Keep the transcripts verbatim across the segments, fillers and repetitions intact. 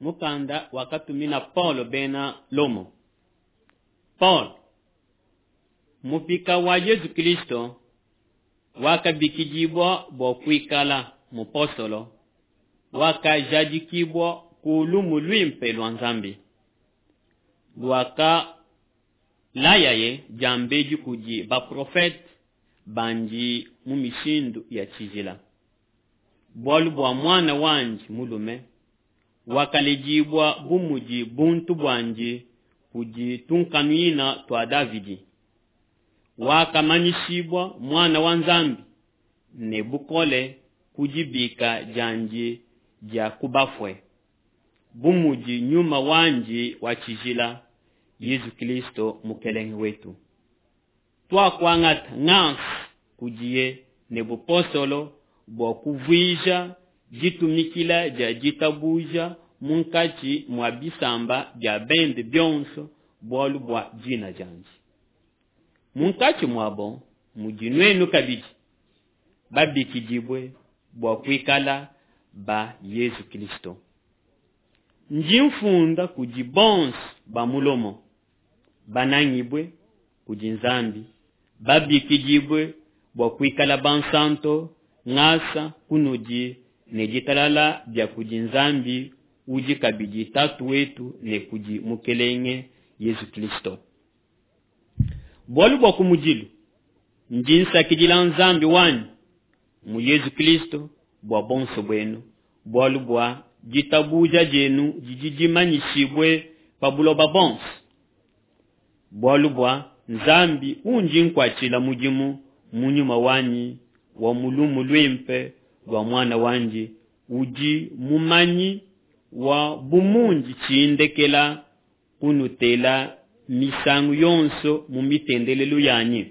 Mukanda wakatumina Paulo bena Lomo. Paulo, mupika wa Yesu Kristo, wakabikidibua bua kuikala mupostolo, wakajadikibua ku lumu luimpe lua Nzambi, luakalayaye diambedi kudi baprofete bandi mu mishindu ya tshijila, bualu bua muana wandi mulume wakaledibua bu mudi buntu buandi kudi tunkanunuina tua Davidi, wakamanyishibua muana wa Nzambi ne bukole ku dibika diandi dia ku bafue, bu mudi nyuma wandi wa tshijila, Yesu Kristo Mukelenge wetu. Tuakuangata ngasa kudiye ne bupostolo bua kuvuija ditumikila dia ditabuja munkatshi mua bisamba bia bende bionso bualu bua dina diandi. Munkatshi muabo mudi nuenu kabidi babikidibue bua kuikala ba Yesu Kristo. Ndi mfunda kudi bonso ba mu Lomo, banangibue kudi Nzambi, babikidibue bua kuikala bansanto, ngasa kunudi ne ditalala bia kudi Nzambi udi kabidi Tatu wetu ne kudi Mukelenge Yesu Kristo. Bualu bua kumudilu ndi nsakidila Nzambi wanyi mu Yesu Kristo bua bonso buenu, bualu bua ditabuja dienu didi dimanyishibue pa buloba bonso. Bualu bua Nzambi undi nkuatshila mudimu mu nyuma wanyi wa mu lumu luimpe lua muana wandi, udi mumanyi wa bumundi tshindekela kunutela misangu yonso mu mitendelelu yanyi.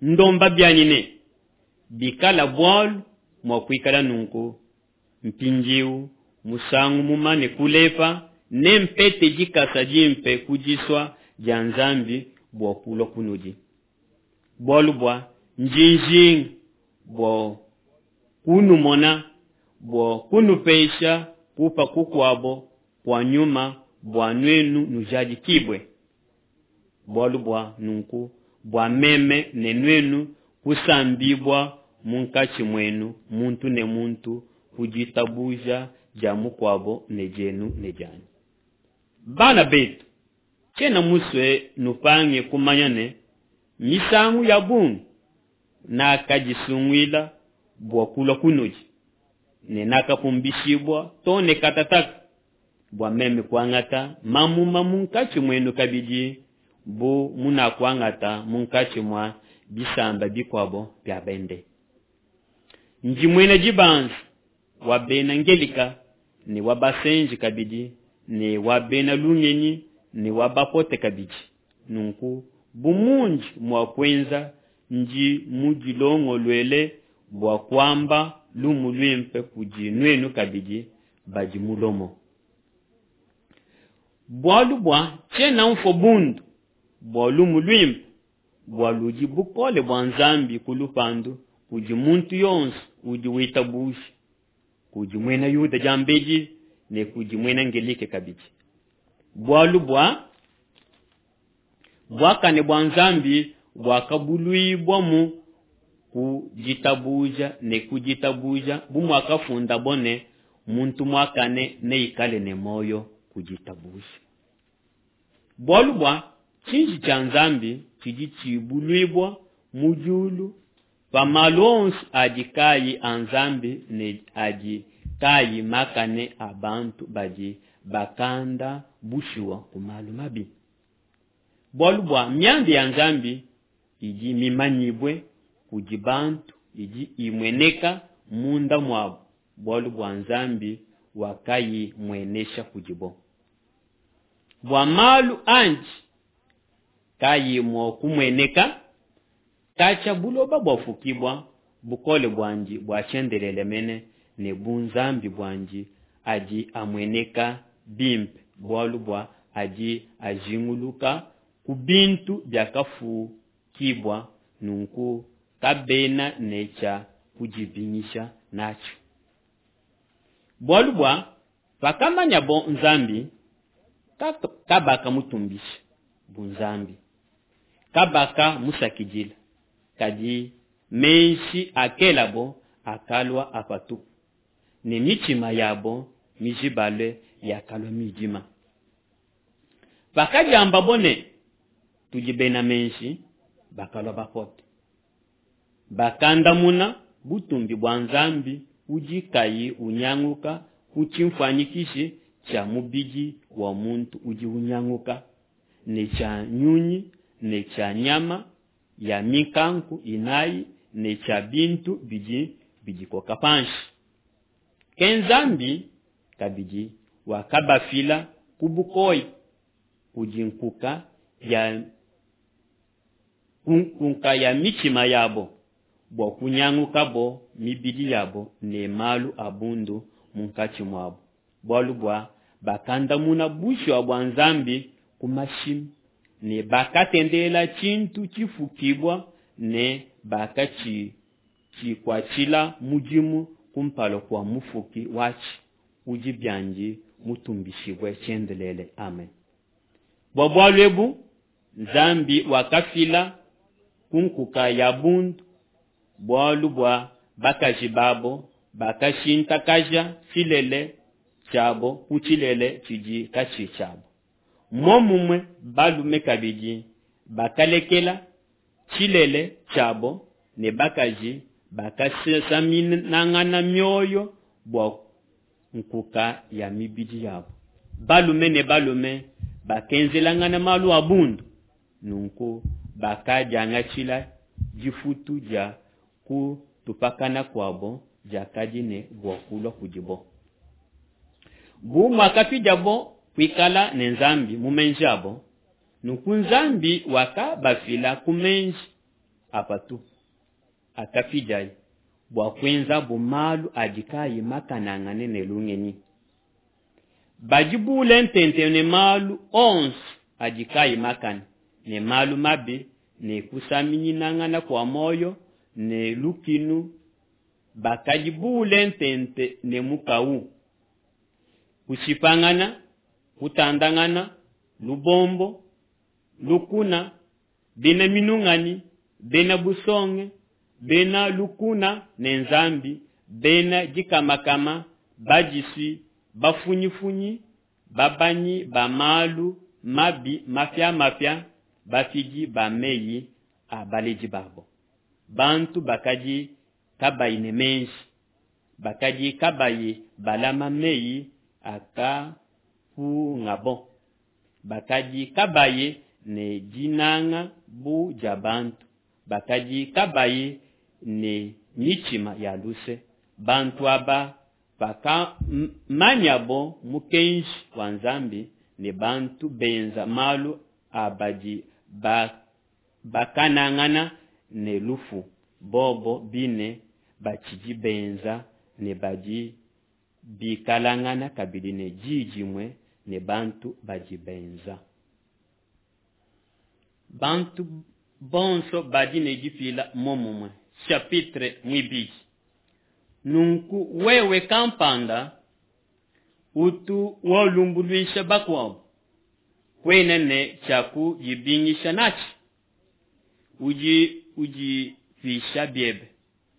Ndomba bianyi ne bikala bualu mua kuikala nunku mpindiu musangu mumane kulepa, nempete dikasa dimpe ku disua dia Nzambi bua kulua kunudi. Bualu bua ndi njinga bua kunumona, bua kunupesha kupa kukuabo kua nyuma bua nuenu nujadikibue. Bualu bua nunku bua meme ne nuenu kusambibua munkatshi muenu muntu ne muntu ku ditabuja dia mukuabo ne dienu ne dianyi. Bana betu, tshiena musue nupange kumanya ne misangu ya bungi nakadisunguila bua kulua kunudi, ne nakapumbishibua too ne katataka bua meme kuangata mamuma munkatshi muenu kabidi bu munakuangata munkatshi mua bisamba bikuabo bia bende. Ndi muena dibanza wa bena Ngelika ne wa basenji kabidi ne wa bena lungenyi ne wa bapote kabidi. Nunku bu mundi mua kuenza, ndi mudilongoluele bua kuamba lumu luimpe kudi nuenu kabidi badi mu Lomo. Bualu bua tshiena mfua bundu bua lumu luimpe, bua ludi bukole bua Nzambi ku lupandu kudi muntu yonso udi witabuja, kudi muena Yuda diambedi ne kudi muena Ngelike kabidi. Bualu bua buakane bua Nzambi buakabuluibua mu ku ditabuja ne ku ditabuja, bu muakafundabo ne, muntu muakane neikale ne muoyo ku ditabuja. Bualu bua tshiji tshia Nzambi tshidi tshibuluibua mu diulu pa malu onso adi kayi a Nzambi ne adi kayi makane a bantu badi bakanda bushuwa ku malu mabi. Bualu bua mianda ya Nzambi idi mimanyibue kudi bantu, idi imueneka munda muabo, bualu bua Nzambi wakayimuenesha kudibo. Bua malu andi kayi mua kumueneka, katshia buloba buafukibua, bukole buandi bua tshiendelele mene ne bunzambi buandi adi amueneka bimpe, bualu bua adi ajinguluka ku bintu biakafukibua, nunku kabena ne tshia kudibingisha natshio. Bualu bua Pakamanyabo Nzambi, kabakamutumbisha bu Nzambi, kabakamusakidila, kadi meji akelabo akalua a patupu, ne mitshima yabo mijibale yakalua midima. Pakadiambabo ne tudi bena meji, bakalua bapote. Bakandamuna butumbi bua Nzambi udi kayi unyanguka ku tshinfuanyikishi tshia mubidi wa muntu udi unyanguka, ne tshia nyunyi, ne tshia nyama ya mikanku inayi, ne tshia bintu bidi bidikoka panshi. Ke Nzambi kabidi wakabafila ku bukoya kudi nkuka ya nkuka ya mitshima yabo, bua kunyangukabo mibidi yabo ne malu a bundu munkatshi muabo, bualu bua bakandamuna bushuwa bua Nzambi ku mashimi, ne bakatendelela tshintu tshifukibua ne bakatshikuatshila mudimu kumpala kua mufuki watshi udi biandi mutumbishibue tshiendelele. Amen. Bua bualu ebu Nzambi wakafila ku nkuka ya bundu, bualu bua bakaji babo bakashintakaja tshilele tshiabo ku tshilele tshidi katshi tshiabo. Momumue balume kabidi bakalekela tshilele tshiabo ne bakaji bakasaminangana mioyo bua nkuka ya mibidi yabo. Balume ne balume bakenzelangana malu a bundu, nunku bakadiangatshila difutu dia kutupakana kuabo diakadi ne bua kulua kudibo. Bu muakapidiabo kuikala ne Nzambi mu meji abo, nunku Nzambi wakabafila ku meji a patupu akapidiaye bua kuenzabo malu adi kayi makanangane ne lungenyi. Badi bule ntente ne malu onso adi kayi makane, ne malu mabi, ne kusaminyinangana kua muoyo, ne lukinu, bakadi bule ntente ne mukawu, kushipangana, kutandangana, lubombo, lukuna, bena minunganyi, bena busonge, bena lukuna ne Nzambi, bena dikamakama, badisui, bafunyifunyi, babanyi ba malu mabi mapiamapia, bafidi ba meyi a baledi babo. Bantu bakadi kabayi ne meji, bakadi kabayi balama meyi akapungabo, bakadi kabayi ne dinanga bu dia bantu, bakadi kabayi ne mitshima ya luse. Bantu aba pakamanyabo mukenji wa Nzambi ne bantu benza malu a badi bakanangana ne lufu, bobo bine batshidi benza ne badi bikalangana kabidi ne di dimue ne bantu badi benza. Bantu bonso badi ne dipila momumue. Chapitre muibidi. Nunku wewe kampanda utu walumbuluisha bakuabo, kuena ne tshia kudibingisha natshi. Udi udipisha biebe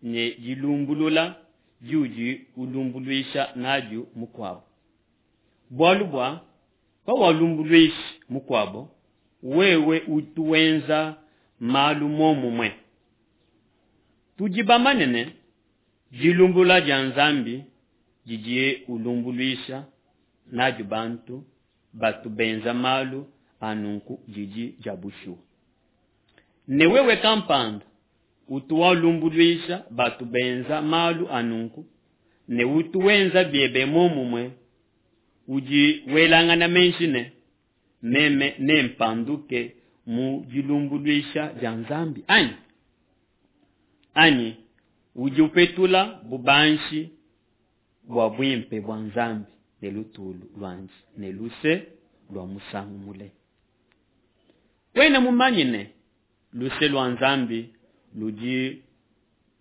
ne dilumbulula diudi ulumbuluisha nadio mukuabo. Bualu bua pawalumbuluisha mukuabo, wewe utu wenza malu momumue. Tudi bamanye ne dilumbulula dia Nzambi didiye ulumbuluisha nadio bantu batu benza malu a nunku didi dia bushuwa. Ne wewe kampanda utu walumbuluisha batu benza malu a nunku, ne utu wenza biebe momumue, udi welangana meji ne meme nempanduke mu dilumbuluisha dia Nzambi anyi? Anyi udi upetula bubanji bua buimpe bua Nzambi ne lutulu luandi ne luse lua musangu mule. Kuena mumanye ne luse lua Nzambi ludi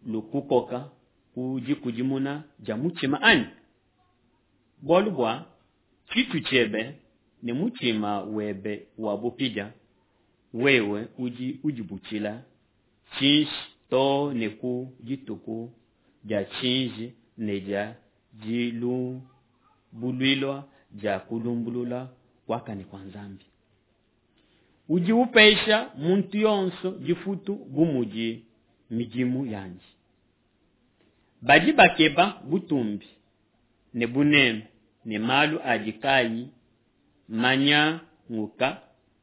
lukukoka ku dikudimuna dia mutshima anyi? Bualu bua tshitshu tshiebe ne mutshima webe wa bupidia, wewe udi udibutshila tshiji too ne ku dituku dia tshiji ne dia dilumbuluibua dia kulumbulula kuakane kua Nzambi. Udi upesha muntu yonso difutu bu mudi midimu yandi. Badi bakeba butumbi ne buneme ne malu adi kaayi manyanguka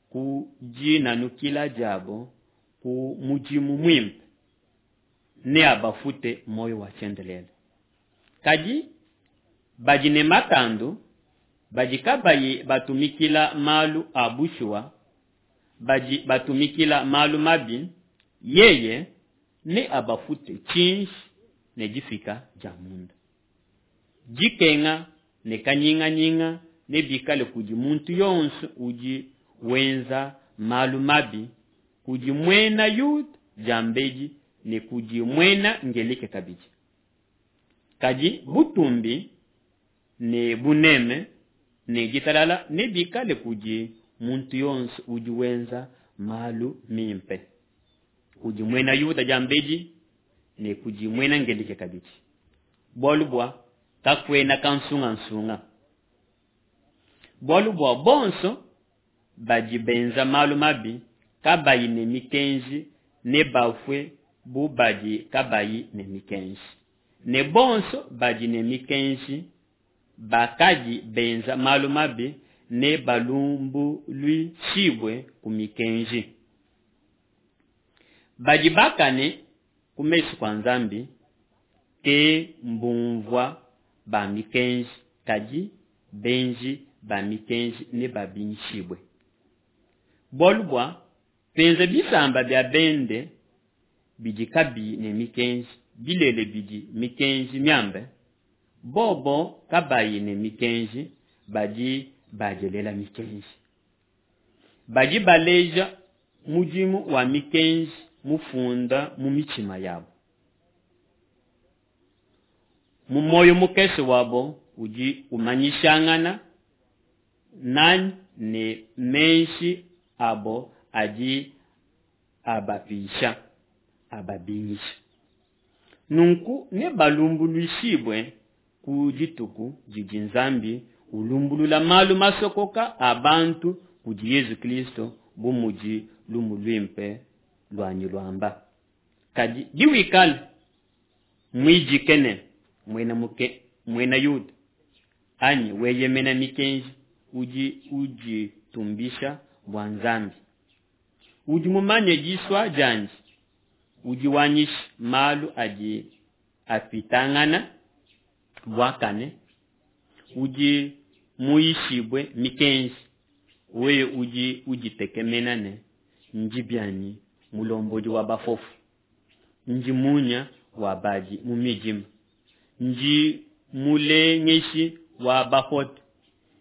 ku dinanukila diabo ku mudimu muimpe, neabafute muoyo wa tshiendelele. Kadi badi ne matandu, badi kabayi batumikila malu a bushuwa, badi batumikila malu mabi, yeye neabafute tshiji ne difika dia munda. Dikenga ne kanyinganyinga nebikale kudi muntu yonso udi wenza malu mabi, kudi muena Yuda diambedi ne kudi muena Ngeleke kabidi. Kadi butumbi ne buneme ne ditalala nebikale kudi muntu yonso udi wenza malu mimpe, kudi muena Yuda diambedi ne kudi muena Ngeleke kabidi. Bualu bua kakuena kansungasunga. Bualu bua bonso badi benza malu mabi kabayi ne mikenji nebafue bu badi kabayi ne mikenji. Ne bonso badi ne mikenji bakadi benza malu mabi nebalumbuluishibue ku mikenji. Badi bakane ku mesu kua Nzambi ke mbumvua ba mikenji, kadi benji ba mikenji nebabingishibue. Bualu bua penza bisamba bia bende bidi kabiyi ne mikenji, bilele bidi mikenji miambe, bobo kabayi ne mikenji badi badielela mikenji. Badi baleja mudimu wa mikenji mufunda mu mitshima yabo. Mu muoyo mukese wabo udi umanyishangana nanyi ne meji abo adi abapisha, ababingisha. Nunku nebalumbuluishibue ku dituku didi Nzambi ulumbulula malu masokoka a bantu kudi Yezu Kristo bu mudi lumu luimpe luanyi luamba. Kadi biwikala muidike ne muena muke muena Yuda anyi weyemena mikenji, udi uditumbisha bua Nzambi. Udi mumanye disua diandi, udi wanyisha malu adi apitangana buakane, udi muyishibue mikenji, wewe udi uditekemena ne ndi bianyi mulombodi wa bafofo, ndi munya wa badi mu midima, ndi mulengeshi wa bapote,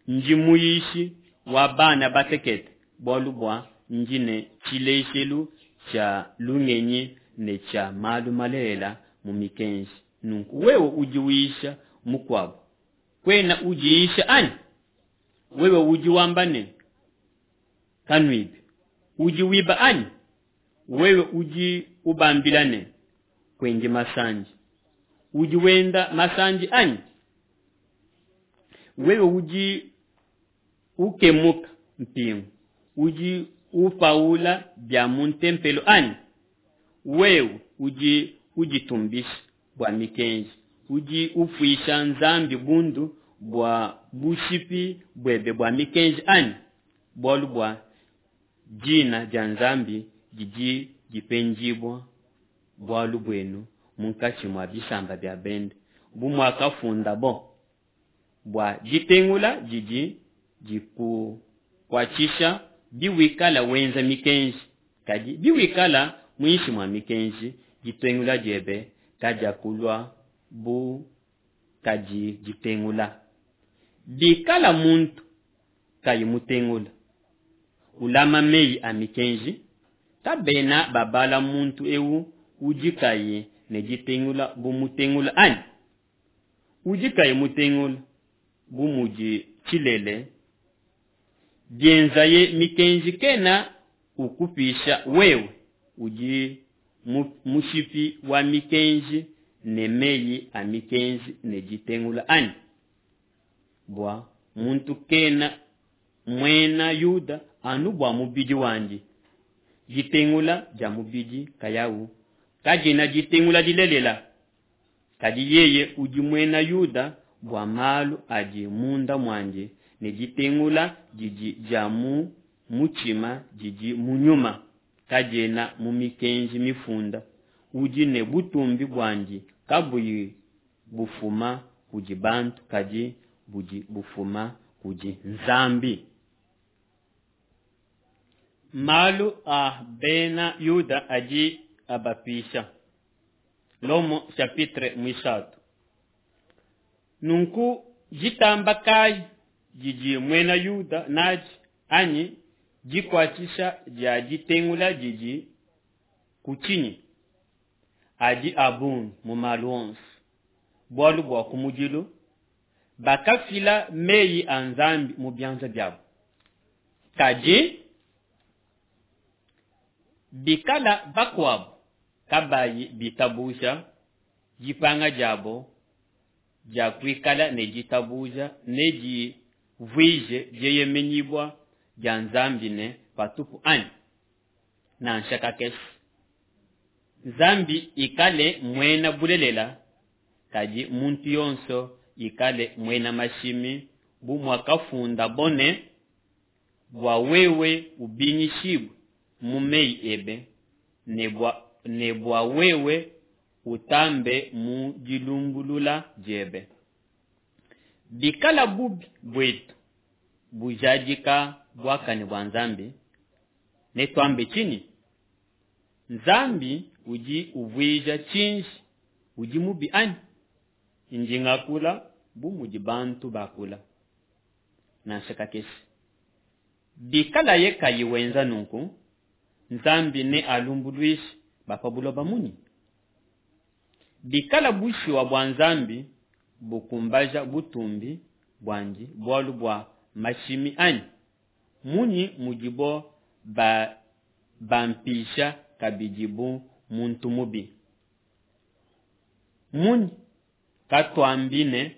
ndi muyishi wa bana batekete, bualu bua ndi ne tshilejelu tshia lungenyi ne tshia malu malelela mu mikenji. Nunku wewe udi uyisha mukuabo, kuena udiyisha anyi? Wewe udi wamba ne kanuibi, udi wiba anyi? Wewe udi ubambila ne kuendi masandi, udi wenda masandi anyi? Wewe udi ukemuka mpingu, udi upaula bia mu ntempelo anyi? Wewe udi uditumbisha bua mikenji, udi ufuisha Nzambi bundu bua bushipi buebe bua mikenji anyi? Bualu bua dina dia Nzambi didi dipendibua bualu buenu munkatshi mua bisamba bia bende, bu muakafundabo, bua ditengula didi dikukuatshisha biwikala wenza mikenji, kadi biwikala muinshi mua mikenji, ditengula diebe kadiakulua bu kadi ditengula. Bikala muntu kayi mutengula, ulama meyi a mikenji, kabena babala muntu eu udi kayi ne ditengula bu mutengula anyi? Udi kayi mutengula bu mudi tshilele, bienzaye mikenji kena ukupisha wewe udi mushipi wa mikenji ne meyi a mikenji ne ditengula anyi? Bua muntu kena muena Yuda anu bua mubidi wandi. Ditengula dia mubidi nkayawu kadiena ditengula dilelela, kadi yeye udi muena Yuda bua malu adi munda muandi, ne ditengula didi dia mu mutshima didi mu nyuma, kadiena mu mikenji mifunda, udi ne butumbi buandi kabuyi bufuma kudi bantu, kadi budi bufuma kudi Nzambi. Malu a bena Yuda adi abapisha. Lomo chapitre muisatu. Nunku ditamba kayi didi muena Yuda nadi anyi dikuatshisha dia ditengula didi ku tshinyi? Adi a bungi mu malu onso. Bualu bua kumudilu bakafila meyi a Nzambi mu bianza biabo. Kadi bikala bakuabo kabayi bitabuja, dipanga diabo dia kuikala ne ditabuja nedivuije dieyemenyibua dia Nzambi ne patupu anyi? Nansha kakese. Nzambi ikale muena bulelela, kadi muntu yonso ikale muena mashimi, bu muakafundabo ne, bua wewe ubingishibue mu meyi ebe, ne bua, ne bua wewe utambe mu dilumbulula diebe. Bikala bubi buetu bujadika buakane bua Nzambi, netuambe tshinyi? Nzambi udi uvuija tshinji udi mubi anyi? Ndi ngakula bu mudi bantu bakula. Nansha kakese. Bikalaye kayi wenza nunku, Nzambi nealumbuluishe ba pa buloba munyi? Bikala bushuwa bua Nzambi bukumbaja butumbi buandi bualu bua mashimi anyi? Munyi mudibo ba bampisha kabidi bu muntu mubi? Munyi katuambi ne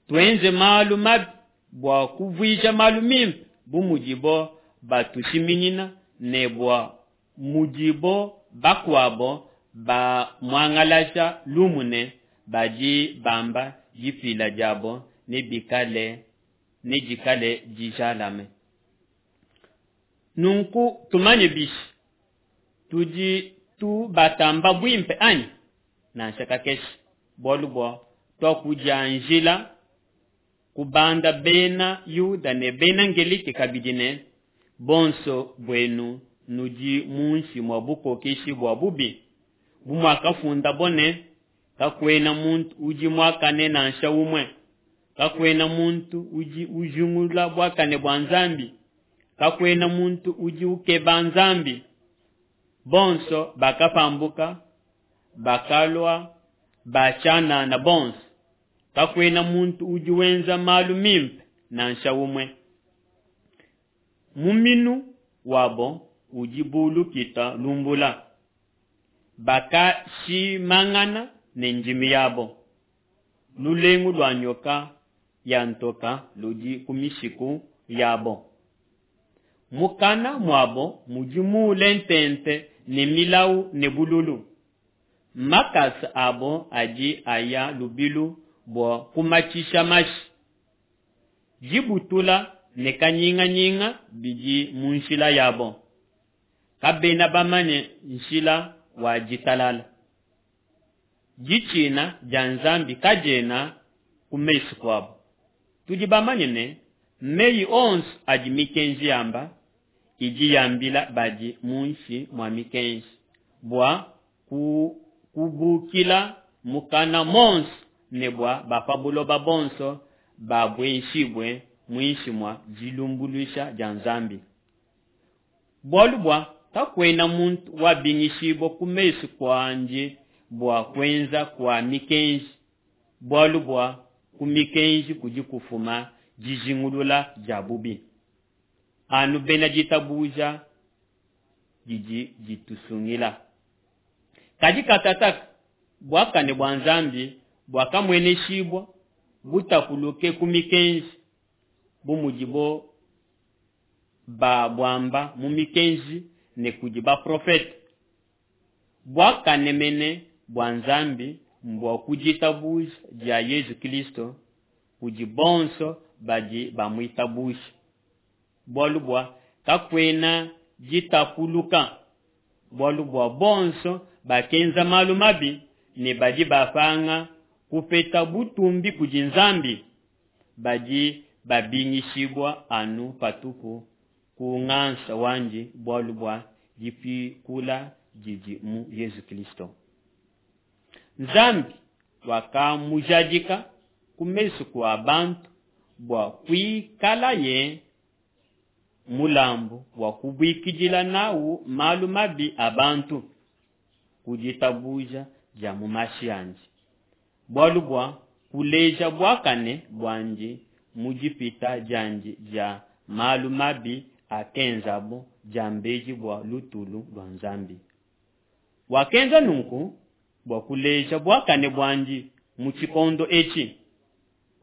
tuenze malu mabi bua kuvuija malu mimpe, bu mudibo batushiminyina ne bua mudibo bakuabo bamuangalaja lumu ne badi bamba dipila diabo nebikale nedikale dijalame. Nunku tumanye bishi tudi tubatamba buimpe anyi? Nansha kakese. Bualu bua tuakudianjila kubanda bena Yuda ne bena Ngelike kabidi ne bonso buenu nudi munshi mua bukokeshi bua bubi, bu muakafundabo ne, kakuena muntu udi muakane nansha umue, kakuena muntu udi ujingulula buakane bua Nzambi, kakuena muntu udi ukeba Nzambi. Bonso bakapambuka, bakalua ba tshianana bonso, kakuena muntu udi wenza malu mimpe nansha umue. Muminu wabo udi bu lukita lumbula, bakashimangana ne ndimi yabo. Lulengu lua nyoka ya ntoka ludi ku mishiku yabo. Mukana muabo mudi muule ntente ne milawu ne bululu. Makasa abo adi aya lubilu bua kumatshisha mashi. Dibutula ne kanyinganyinga bidi mu nshila yabo. Kabena bamanye nshila wa ditalala. Ditshina dia Nzambi kadiena ku mesu kuabo. Tudi bamanye ne meyi onso adi mikenji yamba idi yambila badi munshi mua mikenji, bua ku kubukila mukana monso ne bua ba pa buloba bonso babueshibue muinshi mua dilumbuluisha dia Nzambi. Bualu bua kakuena muntu wabingishibua ku mesu kuandi bua kuenza kua mikenji, bualu bua ku mikenji kudi kufuma dijingulula dia bubi. Anu bena ditabuja didi ditusungila. Kadi katataka buakane bua Nzambi buakamueneshibua butapuluke ku mikenji, bu mudibo babuamba mu mikenji ne kudi baprofete. Buakane mene bua Nzambi mbua ku ditabuja dia Yesu Kristo kudi bonso badi bamuitabusha. Bualu bua kakuena ditapuluka, bualu bua bonso bakenza malu mabi ne badi bapanga kupeta butumbi kudi Nzambi, badi babingishibua anu patupu ku ngasa wandi bualu bua dipikula didi mu Yesu Kristo. Nzambi wakamujadika ku mesu kua bantu bua kuikalaye mulambu wa kubuikidila nawu malu mabi a bantu ku ditabuja dia mu mashi andi, bualu bua kuleja buakane buandi mu dipita diandi dia malu mabi akenzabo diambedi bua lutulu lua Nzambi. Wakenza nunku bua kuleja buakane buandi mu tshikondo etshi,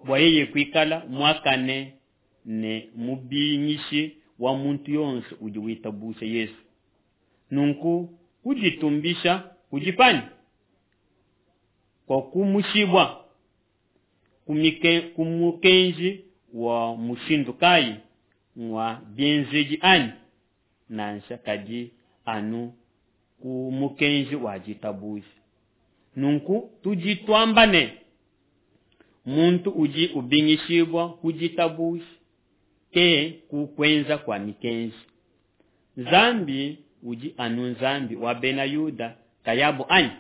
bua yeye kuikala muakane ne mubingishi wa muntu yonso udi witabusha Yesu. Nunku kuditumbisha kudi panyi? Kwa kumushibwa ku mukenji wa mushindu kayi? Ngwa bienzedi anyi? Nansha, kadi anu ku mukenji wa ditabuja. Nunku tudi tuamba ne, muntu udi ubingishibua ku ditabuja, ke ku kuenza kua mikenji. Nzambi udi anu Nzambi wa bena Yuda kayabo anyi?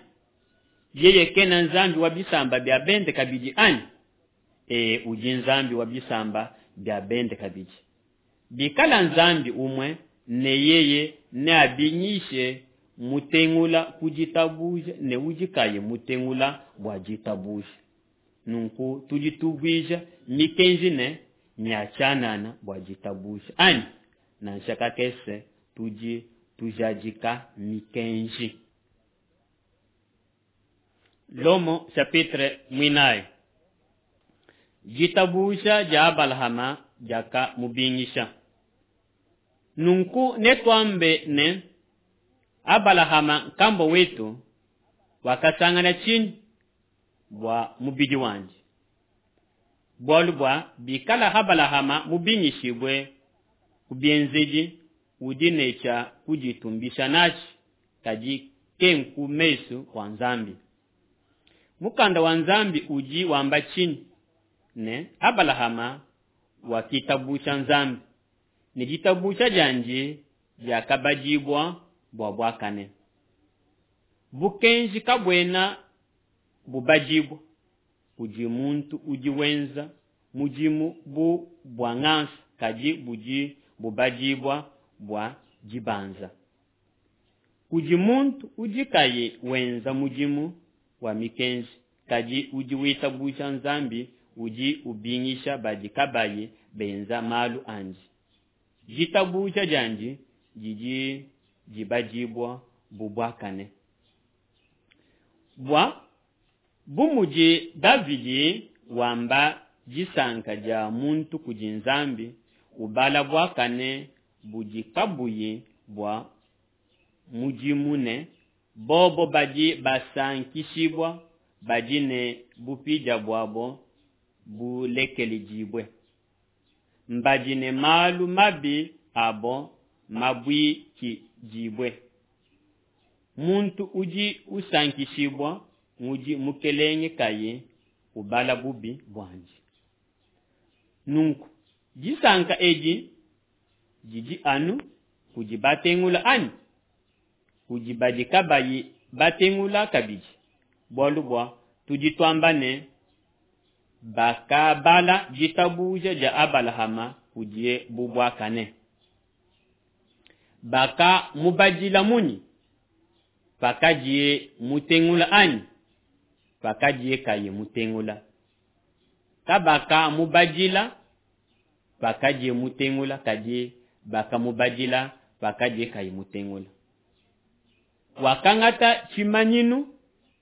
Yeye kena Nzambi wa bisamba bia bende kabidi anyi? E, udi Nzambi wa bisamba bia bende kabidi. Bikala Nzambi umue, ne yeye neabingishe mutengula ku ditabuja ne udi kayi mutengula bua ditabuja. Nunku tudi tuvuija mikenji ne nya tshianana bua ditabuja anyi? Nansha kakese, tudi tujadika mikenji. Lomo chapitre mwinayi. Ditabuja dia Abalahama diakamubingisha. Nunku netuambe ne Abalahama nkambua wetu wakasangana tshinyi bua mubidi wandi? Bualu bua bikala Abalahama mubingishibue ku bienzedi, udi ne tshia kuditumbisha natshi, kadi ke ku mesu kua Nzambi. Mukanda wa Nzambi udi wamba tshinyi? Ne Abalahama wakitabusha Nzambi, ne ditabusha diandi diakabadibua bua buakane. Bukenji kabuena bubadibua kudi muntu udi wenza mudimu bu bua ngasa, kadi budi bubadibua bua dibanza. Kudi muntu udi kayi wenza mudimu wa mikenji, kadi udi witabusha Nzambi udi ubingisha badi kabayi benza malu andi. Ditabuja diandi didi dibadibua bu buakane. Bua bu mudi Davidi wamba disanka dia muntu kudi Nzambi, ubala buakane budi kabuyi bua mudimu ne bobo badi basankishibua badi ne bupidia buabo bulekeledibue, mbadi ne malu mabi abo mabuikidibue. Muntu udi usankishibua ngudi Mukelenge kayi ubala bubi buandi. Nunku disanka edi didi anu kudi batengula anyi? Kudi badi kabayi batengula kabidi? Bualu bua tudi tuamba ne bakabala ditabuja dia Abalahama kudiye bu buakane. Bakamubadila munyi? Pakadiye mutengula anyi? Pakadiye kayi mutengula. Kabakamubadila pakadiye mutengula, kadi bakamubadila pakadiye kayi mutengula. Wakangata tshimanyinu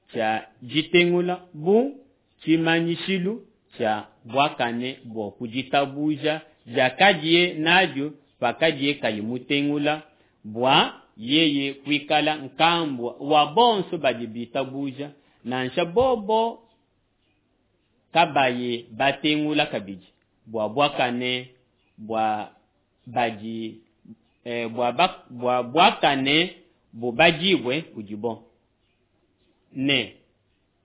tshia ditengula bu tshimanyishilu tshia buakane bua ku ditabuja diakadiye nadio pakadiye kayi mutengula, bua yeye kuikala nkambua wa bonso badi bitabuja, nansha bobo kabayi batengula kabidi, bua buakane bua badi eh, bua, ba, bua buakane bubadibue kudibo, ne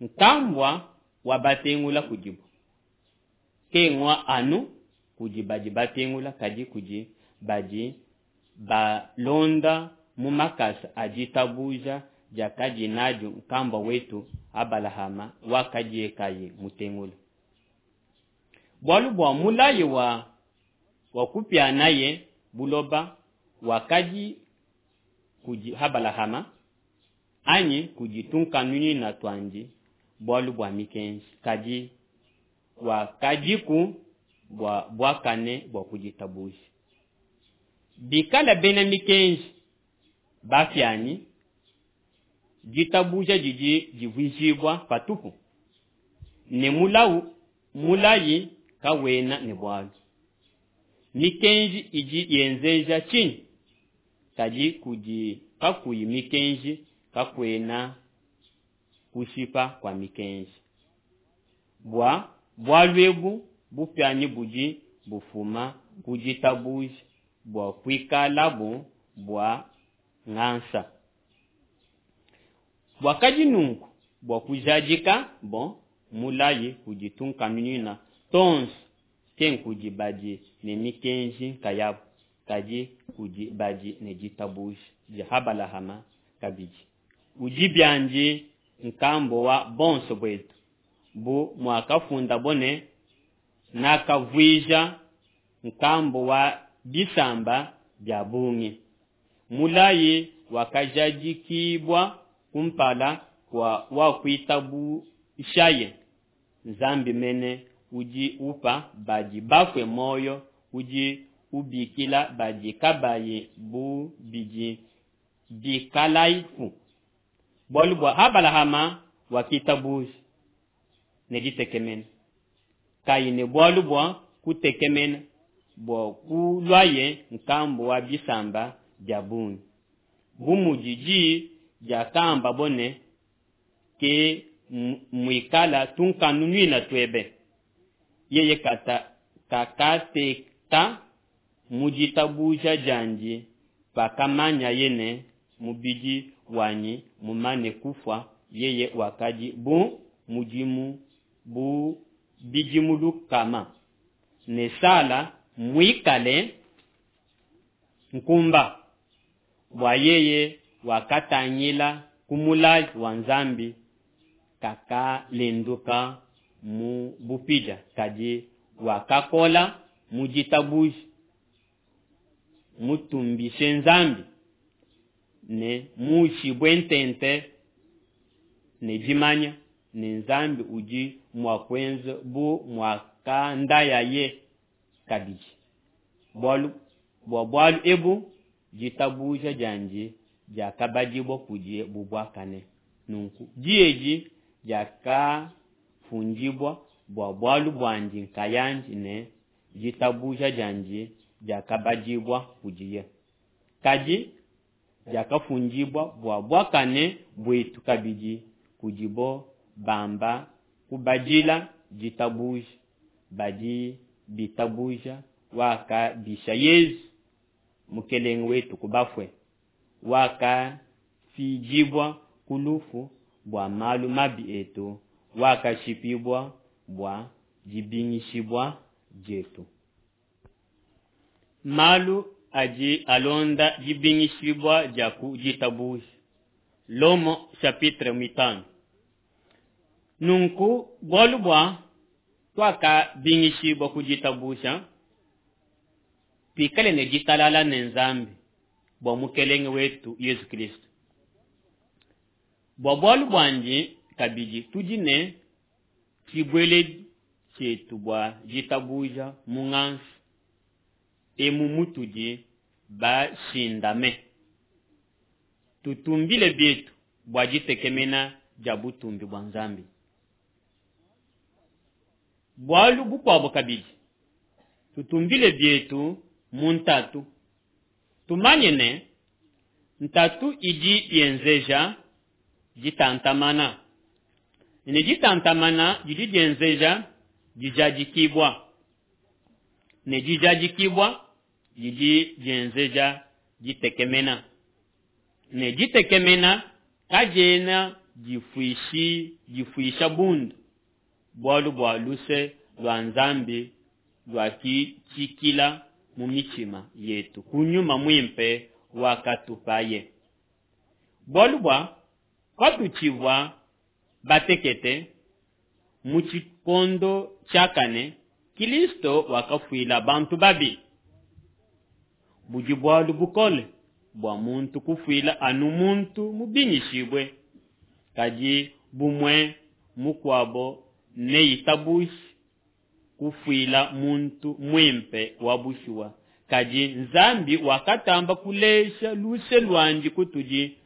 nkambua wa batengula kudibo kengua anu kudi badi batengula, kadi kudi badi balonda mu makasa a ditabuja diakadi nadio nkambua wetu Abalahama wakadiye kayi mutengula. Bualu bua mulayi wa wa kupianaye buloba wakadi kudi Abalahama anyi kudi tunkanunuina tuandi bualu bua mikenji, kadi wakadiku bua buakane bua ku ditabuja. Bikala bena mikenji bapianyi, ditabuja didi divuijibua patupu, ne mulawu mulayi kawena ne bualu. Mikenji idi yenzeja tshinyi? Kadi kudi kakuyi mikenji kakuena kushipa kua mikenji. Bua bualu ebu bupianyi budi bufuma ku ditabuja bua kuikalabu bua ngasa. Buakadi nunku bua kujadika bo mulayi kudi tunkanunuina tonso, ke nkudi badi ne mikenji nkayabu, kadi kudi badi ne ditabuja dia Abalahama kabidi. Udi biandi nkambua wa bonso buetu, bu muakafundabo ne, nakavuija nkambua wa bisamba bia bungi. Mulayi wakajadikibua kumpala kua wakuitabushaye. Nzambi mene udi upa badi bafue muoyo, udi ubikila badi kabayi bu bidi bikalaiku. Bualu bua Abalahama wakitabuja ne ditekemena, kayi ne bualu bua kutekemena bua kuluaye nkambua wa bisamba bia bungi, bu mudi diyi diakambabo ne, ke muikala tunkanunuina tuebe. Yeye kata kakateka mu ditabuja diandi pakamanyaye ne mubidi wanyi mumane kufua, yeye wakadi bu mudimu bu bidimu lukama, ne Sala muikale nkumba, bua yeye wakatangila ku mulayi wa Nzambi, kakalenduka mu bupidia, kadi wakakola mu ditabuja, mutumbishe Nzambi ne muushibue ntente ne dimanya ne Nzambi udi mua kuenza bu muakandayaye kabidi. Bualu bua bualu ebu ditabuja diandi diakabadibua kudiye bu buakane. Nunku diyi edi diakafundibua bua bualu buandi nkayandi ne ditabuja diandi diakabadibua kudiye, kadi diakafundibua bua buakane buetu kabidi kudibo bamba kubadila ditabuja badi bitabuja wakabisha Yesu mukelenge wetu ku bafue, wakafidibua ku lufu bua malu mabi etu, wakashipibua bua dibingishibua dietu. Malu adi alonda dibingishibua dia ku ditabuja. Lomo chapitre mitano. Nunku bualu bua tuakabingishibua ku ditabuja, tuikale ne ditalala ne Nzambi bua mukelenge wetu Yesu Kristo. Bua bualu buandi kabidi tudi ne tshibueledi tshietu bua ditabuja mu ngasa emu mutudi bashindame. Tutumbile bietu bua ditekemena dia butumbi bua Nzambi. Bualu bukuabo kabidi, tutumbile bietu mu ntatu. Tumanye ne, ntatu idi yenzeja ditantamana, ne ditantamana didi dienzeja dijadikibua, ne dijadikibua didi dienzeja ditekemena, ne ditekemena kadiena difuishi difuisha bundu, bualu bua luse lua Nzambi luakitshikila mu mitshima yetu ku Nyuma Muimpe wakatupaye. Bualu bua patutshivua batekete mu tshikondo tshiakane, Kristo wakafuila bantu babi. Budi bualu bukole bua muntu kufuila anu muntu mubingishibue, kadi bumue mukuabo neitabuje kufuila muntu muimpe wa bushuwa. Kadi Nzambi wakatamba kulesha luse luandi kutudi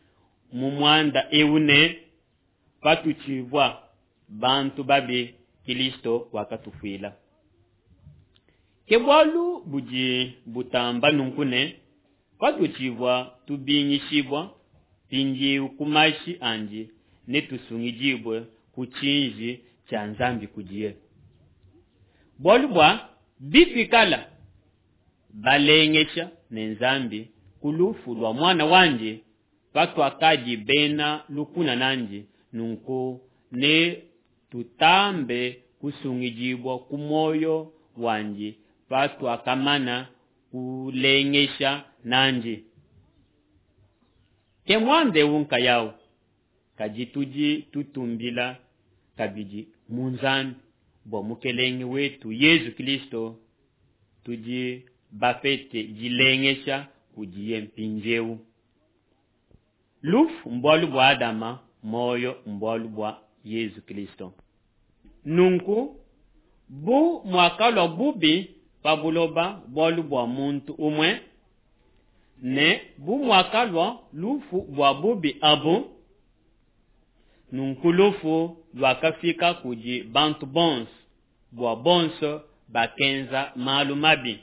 mu muanda eu ne, patutshivua bantu babi, Kristo wakatufuila. Ke bualu budi butamba nunku ne, patutshivua tubingishibua, mpindieu ku mashi andi netusungidibue ku tshiji tshia Nzambi kudiye. Bualu bua bituikala balengesha ne Nzambi ku lufu lua muana wandi, patuakadi bena lukuna nandi, nunku ne tutambe kusungidibua ku muoyo wandi patuakamana kulengesha nandi. Ke muanda eu nkayawu, kadi tudi tutumbila kabidi mu Nzambi bua Mukelenge wetu Yesu Kristo, tudi bapete dilengesha kudiye mpindieu. Lufu mbualu bua Adama, muoyo mbualu bua Yesu Kristo. Nunku bu muakalua bubi pa buloba bualu bua muntu umue, ne bu muakalua lufu bua bubi abu, nunku lufu luakafika kudi bantu bonso, bua bonso bakenza malu mabi.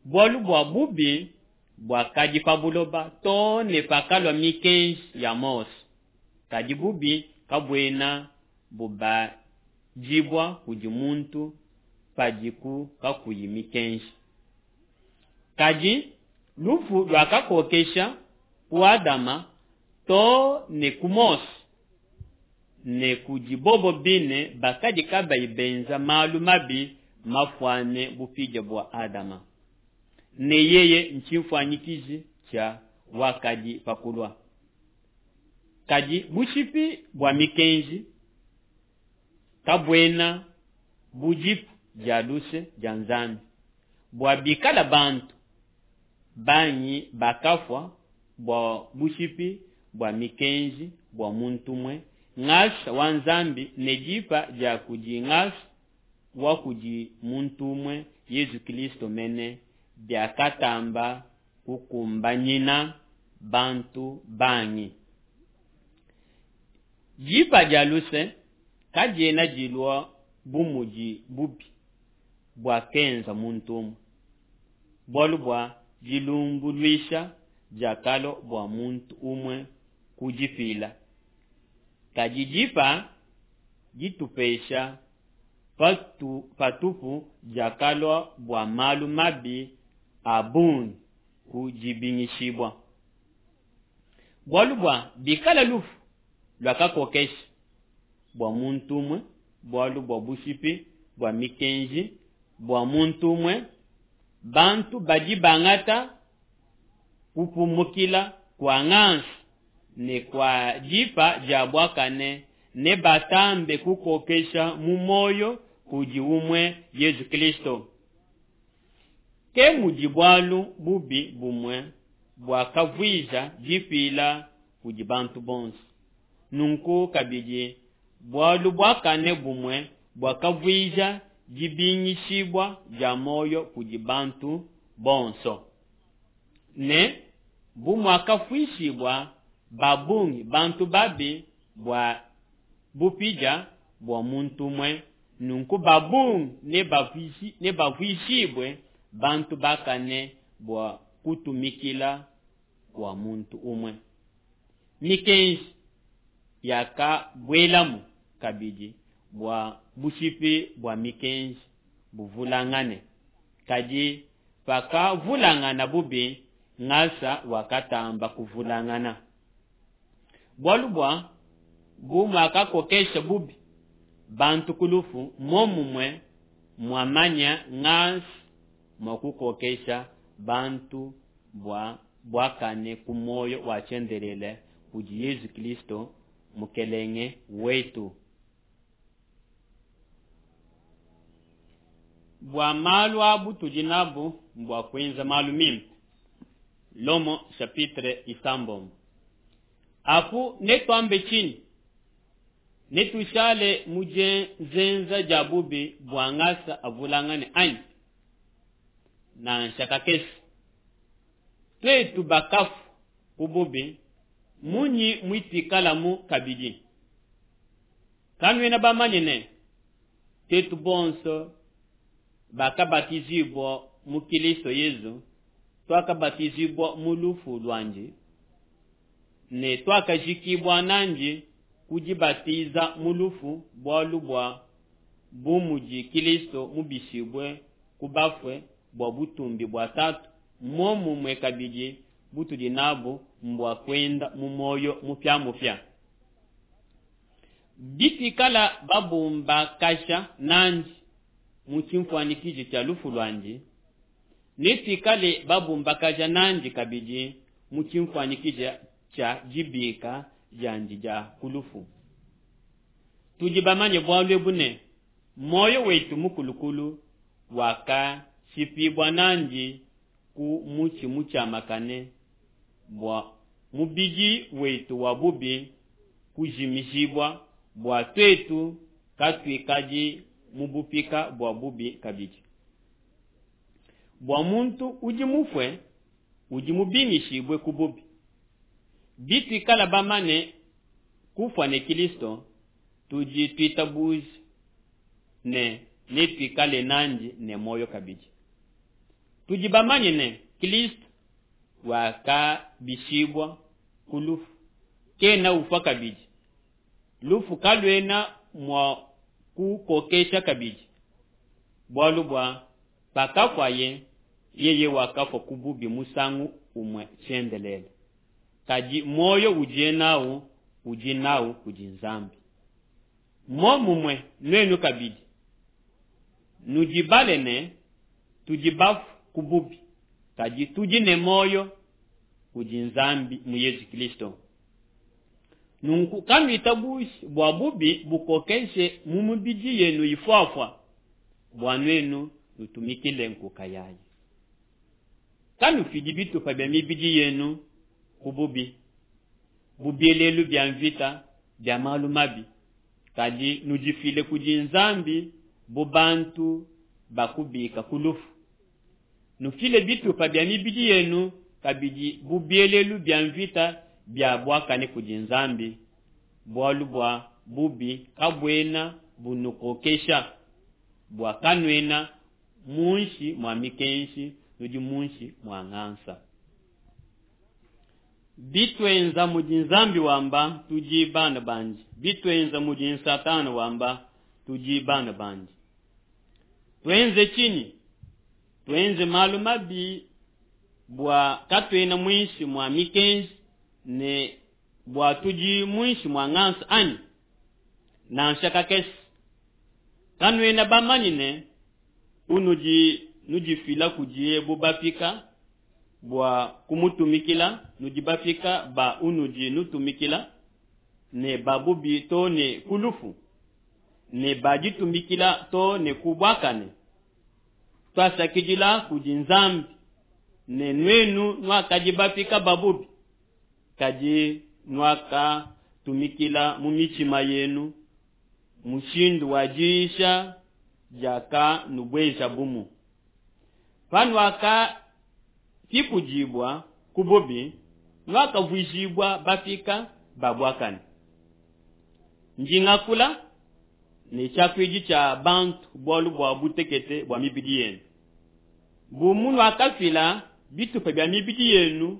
Bualu bua bubi buakadi pa buloba too ne pakalua mikenji ya Mose, kadi bubi kabuena bubadibua kudi muntu padiku kakuyi mikenji. Kadi lufu luakakokesha ku Adama too ne ku Mose, ne kudi bobo bine bakadi kabayi benza malu mabi mafuane bupidia bua Adama, ne yeye ntshimfuanyikiji tshia wakadi pa kulua. Kadi bushipi bua mikenji kabuena bu dipa dia luse dia Nzambi, bua bikala bantu bangi bakafua bua bushipi bua mikenji bua muntu umue, ngasa wa Nzambi ne dipa dia kudi ngasa wa kudi muntu umue Yesu Kristo mene biakatamba kukumbanyina bantu bangi. Dipa dia luse kadiena dilua bu mudi bubi buakenza muntu umue, bualu bua dilumbuluisha diakalua bua muntu umue kudipila. Kadi dipa ditupesha patu, patupu diakalua bua malu mabi a bungi ku dibingishibua. Bualu bua bikala lufu luakakokesha bua muntu umue, bualu bua bushipi bua mikenji bua muntu umue, bantu badi bangata kupumukila kua ngasa ne kua dipa dia buakane ne batambe kukokesha mu muoyo kudi umue Yesu Kristo. Ke mudi bualu bubi bumue buakavuija dipila kudi bantu bonso, nunku kabidi bualu buakane bumue buakavuija dibingishibua dia muoyo kudi bantu bonso. Ne bu muakafuishibua ba bungi bantu babi bua bupidia bua muntu umue, nunku ba bungi nebavuishibue bantu bakane bua kutumikila kua muntu umue. Mikenji yakabuelamu kabidi bua bushipi bua mikenji buvulangane, kadi pakavulangana bubi, ngasa wakatamba kuvulangana. Bualu bua bu muakakokesha bubi bantu ku lufu, muomumue muamanya ngasa mua kukokesha bantu bua buakane ku muoyo wa tshiendelele kudi Yesu Kristo Mukelenge wetu. Bua malu abu tudi nabu mbua kuenza malu mimpe. Lomo chapitre isambombo. Apu netuambe tshinyi? Netushale mu dienza dia bubi bua ngasa avulangane anyi? Nansha kakese. Tuetu bakafu ku bubi, munyi mutuikalamu kabidi? Kanuena bamanye ne tuetu bonso bakabatizibua mu Kristo Yesu, tuakabatizibua mu lufu luandi, ne tuakajikibua nandi ku dibatiza mu lufu, bualu bua bu mudi Kristo mubishibue ku bafue bua butumbi bua Tatu, muomumue kabidi butudi nabu mbua kuenda mu muoyo mupiamupia. Bituikala babumbakasha nandi mu tshimfuanyikiji tshia lufu luandi, netuikale babumbakaja nandi kabidi mu tshimfuanyikiji tshia dibika diandi dia ku lufu. Tudi bamanye bualu ebu ne muoyo wetu mukulukulu wakashipibua nandi ku mutshi mutshiamakane bua mubidi wetu wa bubi kujimijibua, bua tuetu katuikadi mu bupika bua bubi kabidi. Bua muntu udi mufue udi mubingishibue ku bubi. Bituikala bamane kufua ne Kristo, tudi tuitabuja ne netuikale nandi ne muoyo kabidi. Tudi bamanye ne Kristo wakabishibua ku lufu, kena ufua kabidi. Lufu kaluena mua kukokesha kabidi, bualu bua pakafuaye yeye wakafua ku bubi musangu umue tshiendelele, kadi muoyo udiye nawu udi nawu kudi Nzambi. Muomumue nuenu kabidi nudibale ne tudi bafu ku bubi, kadi tudi ne muoyo kudi Nzambi mu Yesu Kristo. Nunku kanuitabuji bua bubi bukokeshe mu mibidi yenu ifuafua, bua nuenu nutumikile nkuka yayi. Kanufidi bitupa bia mibidi yenu ku bubi, bu bielelu bia mvita bia malu mabi, kadi nudifile kudi Nzambi bu bantu bakubika ku lufu. Nufile bitupa bia mibidi yenu kabidi bu bielelu bia mvita bia buakane kudi Nzambi, bualu bua bubi kabuena bunukokesha, bua kanuena munshi mua mikenji, nudi munshi mua ngasa. Bituenza mudi Nzambi wamba tudi bana bandi, bituenza mudi Satana wamba tudi bana bandi. Tuenze tshinyi? Tuenze malu mabi bua katuena muinshi mua mikenji ne bua tudi muinshi mua ngasa anyi? Nansha kakese. Kanuena bamanye ne unudi nudifila kudiye bu bapika bua kumutumikila, nudi bapika ba unudi nutumikila ne babubi to ne ku lufu, ne baditumikila to ne ku buakane. Twasakidila kudi Nzambi ne nuenu nuakadi bapika ba bubi, kadi nuakatumikila mu mitshima yenu Mushindu wa diyisha diakanubuejabumu. Panuakapikudibua ku bubi, nuakavuijibua bapika ba buakane. Ndi ngakula ne tshiakuidi tshia bantu bualu bua butekete bua mibidi yenu. Bu munuakafila bitupa bia mibidi yenu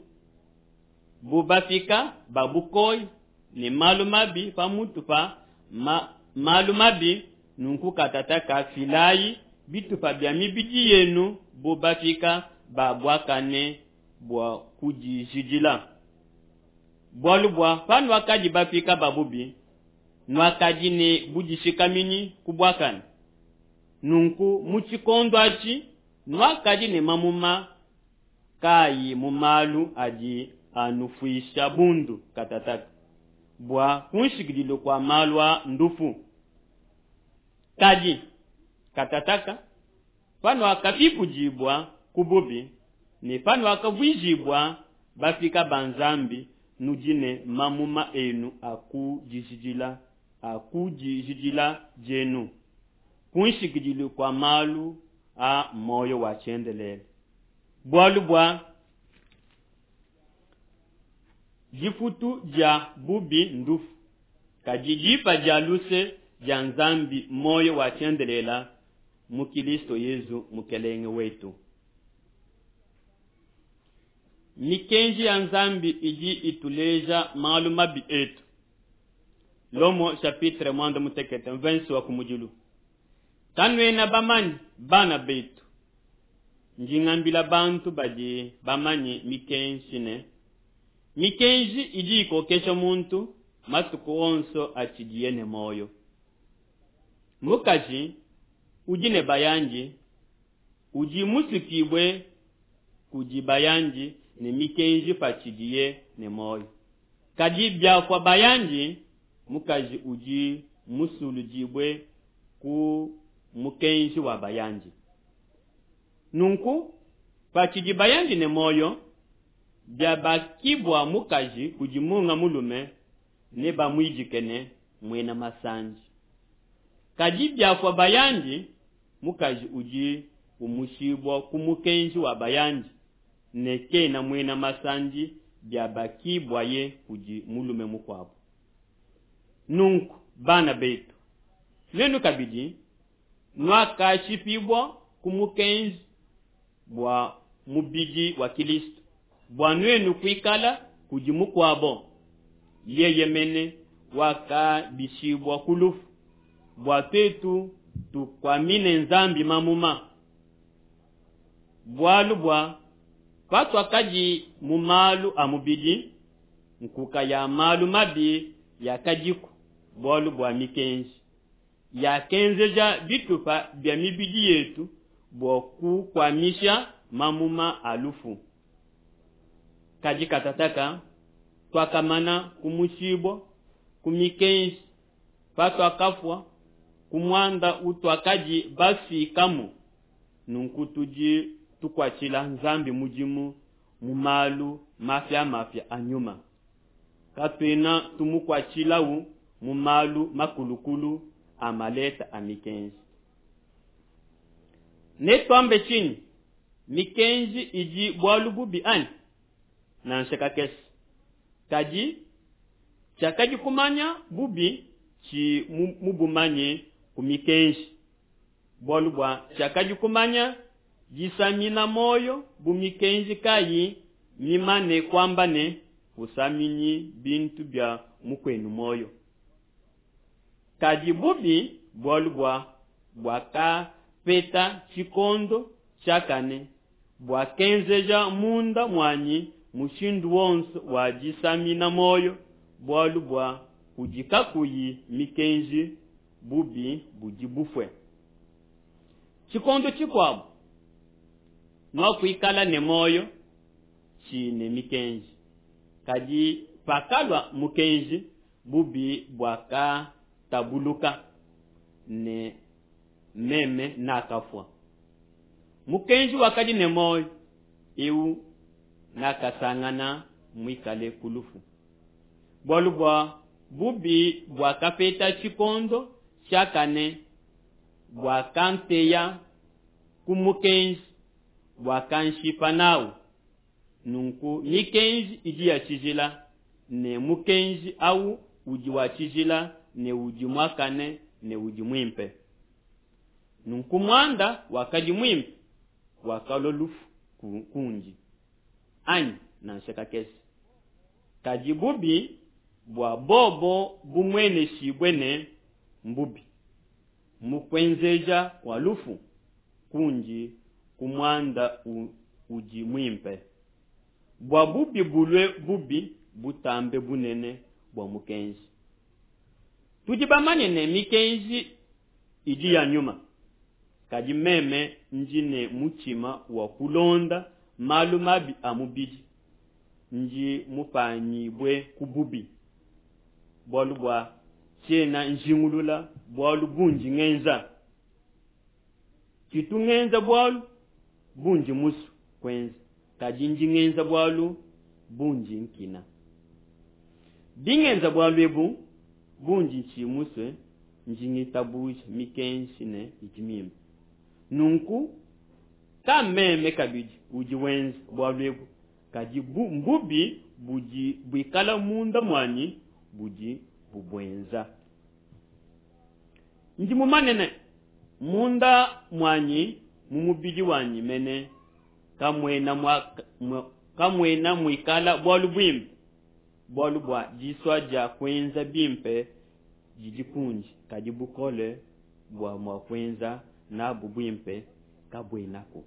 bu bapika ba bukoya ne malu mabi pamutu pa ma, malu mabi, nunku katataka filayi bitupa bia mibidi yenu bu bapika ba buakane bua kudijidila. Bualu bua panuakadi bapika ba bubi, nuakadi ne budishikaminyi ku buakane. Nunku mu tshikondo atshi nuakadi ne mamuma kayi mu malu adi anufuisha bundu katataka, bua kunshikidilu kua malu a ndufu. Kadi katataka panuakapikudibua ku bubi ne panuakavuijibua bapika ba Nzambi, nudi ne mamuma enu a kudijidila a kudijidila dienu kunshikidilu kua malu a muoyo wa tshiendelele. Bualu bua difutu dia bubi ndufu, kadi dipa dia luse dia Nzambi muoyo wa tshiendelele mu Kilisto Yezu Mukelenge wetu. Mikenji ya Nzambi idi ituleja malu mabi etu. Lomo chapitre muanda mutekete mvensi wa kumudilu. Kanuena bamanye bana betu, ndi ngambila bantu badi bamanye mikenji ne mikenji idi ikokesha muntu matuku onso atshidiye ne muoyo. Mukaji udi ne bayandi udi musukibue kudi bayandi ne mikenji patshidiye ne muoyo. Kadi biafua bayandi, mukaji udi musuludibue ku mukenji wa bayandi. Nunku patshidi bayandi ne muoyo, biabakibua mukaji kudi munga mulume, nebamuidike ne muena masandi. Kadi biafua bayandi, mukaji udi umushibua ku mukenji wa bayandi ne kena muena masandi biabakibuaye kudi mulume mukuabo. Nunku bana betu, nuenu kabidi nuakashipibua ku mukenji bua mubidi wa Kilisto, bua nuenu kuikala kudi mukuabo, yeye mene wakabishibua ku lufu, bua tuetu tukuamine Nzambi mamuma. Bualu bua patuakadi mu malu a mubidi, nkuka ya malu mabi yakadiku bualu bua mikenji yakenzeja bitupa bia mibidi yetu bua kukuamisha mamuma a lufu. Kadi katataka tuakamana kumushibua ku mikenji patuakafua ku muanda utuakadi bafikamu. Nunku tudi tukuatshila Nzambi mudimu mu malu mapiamapia a nyuma, katuena tumukuatshilawu mu malu makulukulu a maleta a mikenji. Netuambe tshinyi? Mikenji idi bualu bubi anyi? Nansha kakese. Kadi tshiakadi kumanya bubi tshi mubumanye ku mikenji, bualu bua tshiakadi kumanya disamina muoyo bu mikenji kayi mimane kuamba ne, kusaminyi bintu bia mukuenu muoyo. Kadi bubi bualu bua buakapeta tshikondo tshiakane, buakenzeja munda muanyi mushindu wonso wa disamina muoyo, bualu bua kudi kakuyi mikenji bubi budi bufue. Tshikondo tshikuabo nuakuikala ne muoyo tshi ne mikenji, kadi pakalua mukenji, bubi buakatabuluka ne meme nakafua. Mukenji wakadi ne muoyo eu nakasangana muikale ku lufu, bualu bua bubi buakapeta tshikondo tshiakane buakanteya ku mukenji buakanshipa nawu. Nunku mikenji idi ya tshijila, ne mukenji awu udi wa tshijila ne udi muakane ne udi muimpe. Nunku muanda wakadi muimpe wakalua lufu kundi anyi? Nansha kakese. Kadi bubi bua bobo bumueneshibue ne mbubi mu kuenzeja kua lufu kundi ku muanda udi muimpe, bua bubi bulue bubi butambe bunene bua mukenji. Tudi bamanye ne mikenji idi ya nyuma, kadi meme ndi ne mutshima wa kulonda malu mabi a mubidi, ndi mupanyibue ku bubi. Bualu bua tshiena njingulula bualu bundi ngenza. Tshitu ngenza bualu bundi musue kuenza, kadi ndi ngenza bualu bundi nkina. Bingenza bualu ebu bundi ntshi musue, ndi ngitabuja mikenji ne idi mimpe. Nunku ka meme kabidi udi wenza bualu ebu, kadi bu mbubi budi buikala munda muanyi budi bubuenza. Ndi mumanye ne munda muanyi mu mubidi wanyi mene kamuena mua kamuena muikala bualu buimpe, bualu bua disua dia kuenza bimpe didi kundi, kadi bukole bua mua kuenza nabu buimpe kabuenaku.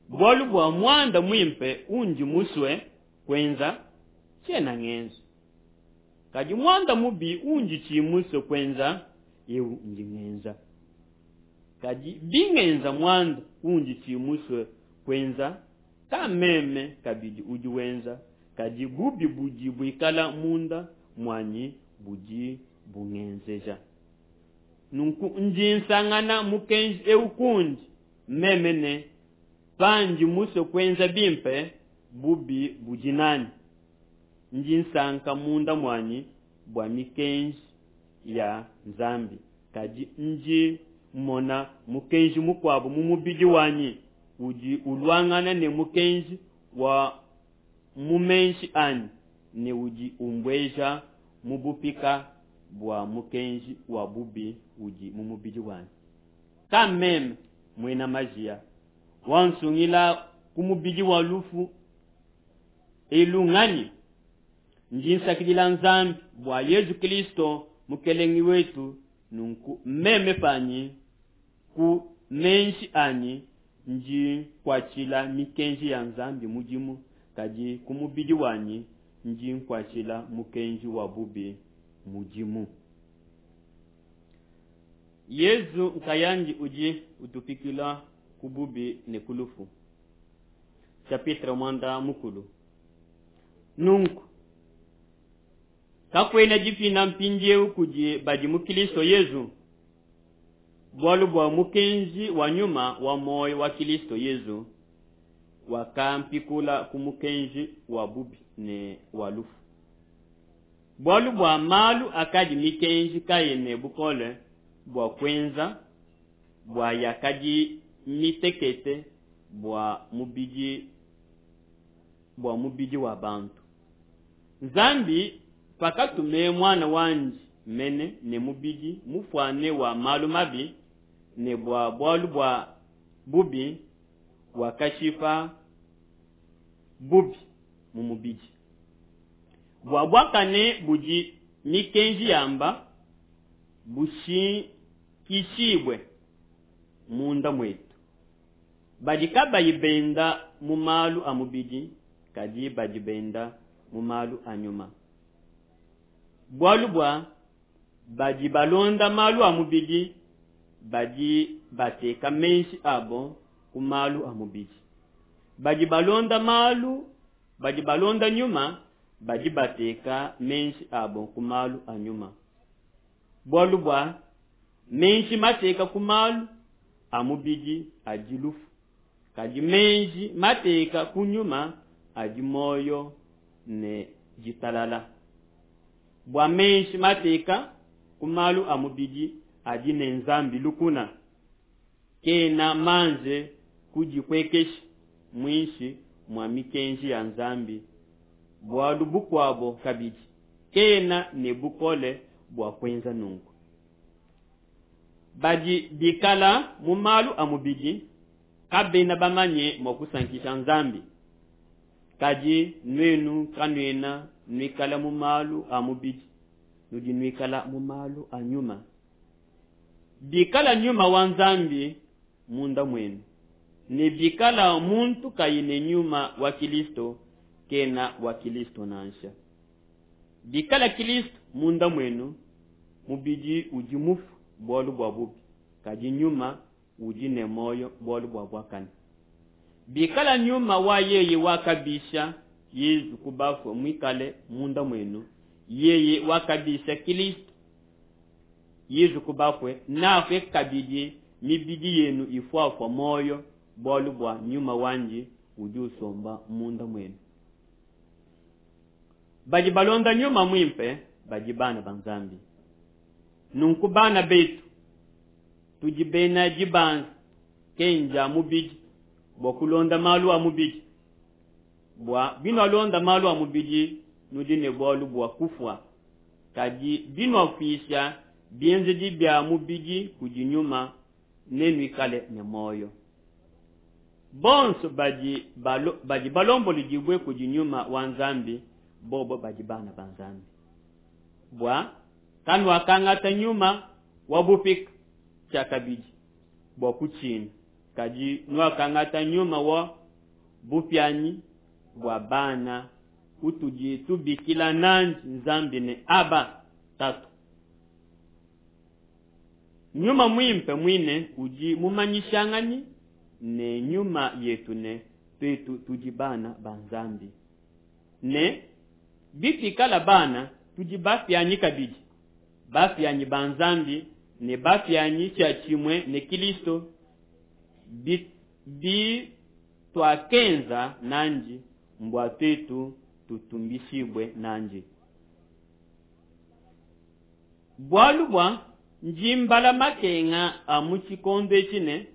Bualu bua muanda muimpe undi musue kuenza tshiena ngenza, kadi muanda mubi undi tshi musue kuenza eu ndi ngenza. Kadi bingenza muanda undi tshi musue kuenza, ka meme kabidi udi wenza, kadi bubi budi buikala munda muanyi budi bungenzeja. Nunku ndi nsangana mukenji eu kundi meme ne pandi musue kuenza bimpe, bubi budi nanyi. Ndi nsanka munda muanyi bua mikenji ya Nzambi, kadi ndi mmona mukenji mukuabu mu mubidi wanyi udi uluangana ne mukenji wa mu meji anyi ne udi umbueja mu bupika bua mukenji wa bubi udi mu mubidi wanyi. Ka meme muena majiya wansungila ku mubidi wa lufu elu nganyi? Ndi nsakidila Nzambi bua Yezu Kristo Mukelenge wetu. Nunku meme panyi ku meji anyi ndi nkuatshila mikenji ya Nzambi mudimu, kadi ku mubidi wanyi ndi nkuatshila mukenji wa bubi mudimu. Yezu nkayandi udi utupikula ku bubi ne ku lufu. Chapitre muanda mukulu. Nunku kakuena dipina mpindieu kudi badi mu Kristo Yezu, bualu bua mukenji wa nyuma wa muoyo wa Kristo Yezu wakampikula ku mukenji wa bubi ne wa lufu. Bualu bua malu akadi mikenji kayi ne bukole bua kuenza, bua yakadi mitekete bua mubidi bua mubidi wa bantu. Nzambi pakatume muana wandi mene ne mubidi mufuane wa malu mabi, ne bua bualu bua bubi wakashipa bubi mu mubidi. Bua buakane budi mikenji yamba bushikishibue munda muetu, badi kabayi benda mu malu a mubidi, kadi badi benda mu malu a nyuma. Bualu bua badi balonda malu a mubidi badi bateka meji abo ku malu a mubidi, badi balonda malu badi balonda nyuma badi bateka meji abo ku malu a nyuma. Bualu bua meji mateka ku malu a mubidi adi lufu, kadi meji mateka ku nyuma adi muoyo ne ditalala. Bua meji mateka ku malu a mubidi adi ne Nzambi lukuna, kena manze kudipuekesha muinshi mua mikenji ya Nzambi, bualu bukuabo kabidi, kena ne bukole bua kuenza nunku. Badi bikala mu malu a mubidi kabena bamanye mua kusankisha Nzambi. Kadi nuenu kanuena nuikala mu malu a mubidi, nudi nuikala mu malu a nyuma. Bikala nyuma wa Nzambi munda muenu, ne bikala muntu kayi ne nyuma wa Kilisto, kena wa Kilisto nansha. Bikala Kilisto munda muenu, mubidi udi mufue bualu bua bubi, kadi nyuma udi ne muoyo bualu bua buakane. Bikala nyuma wa yeye wakabisha Yezu ku bafue muikale munda muenu, yeye wakabisha Kilisto Yezu ku bafue, neape kabidi mibidi yenu ifuafua muoyo bualu bua nyuma wandi udi usomba munda muenu. Badi balonda nyuma muimpe badi bana ba Nzambi. Nunku bana betu, tudi bena dibanza kenja mubidi bua kulonda malu a mubidi. Bua binualonda malu a mubidi nudi ne bualu bua kufua, kadi binuafuisha bienzedi bia mubidi kudi nyuma nenuikale ne muoyo. Bonso badi balo, badi balomboledibue kudi nyuma wa Nzambi, bobo badi bana ba Nzambi. Bua kanuakangata nyuma wa bupika tshiakabidi bua kutshina, kadi nuakangata nyuma wa bupianyi bua bana utudi tubikila nandi Nzambi ne Aba Tatu. Nyuma muimpe muine udi mumanyishanganyi ne nyuma yetu ne tuetu tudi bana ba Nzambi. Ne bituikala bana, tudi bapianyi kabidi, bapianyi ba Nzambi ne bapianyi tshiatshimue ne Kilisto, bituakenza nandi mbua tuetu tutumbishibue nandi. Bualu bua ndi mbala makenga a mu tshikondo etshi ne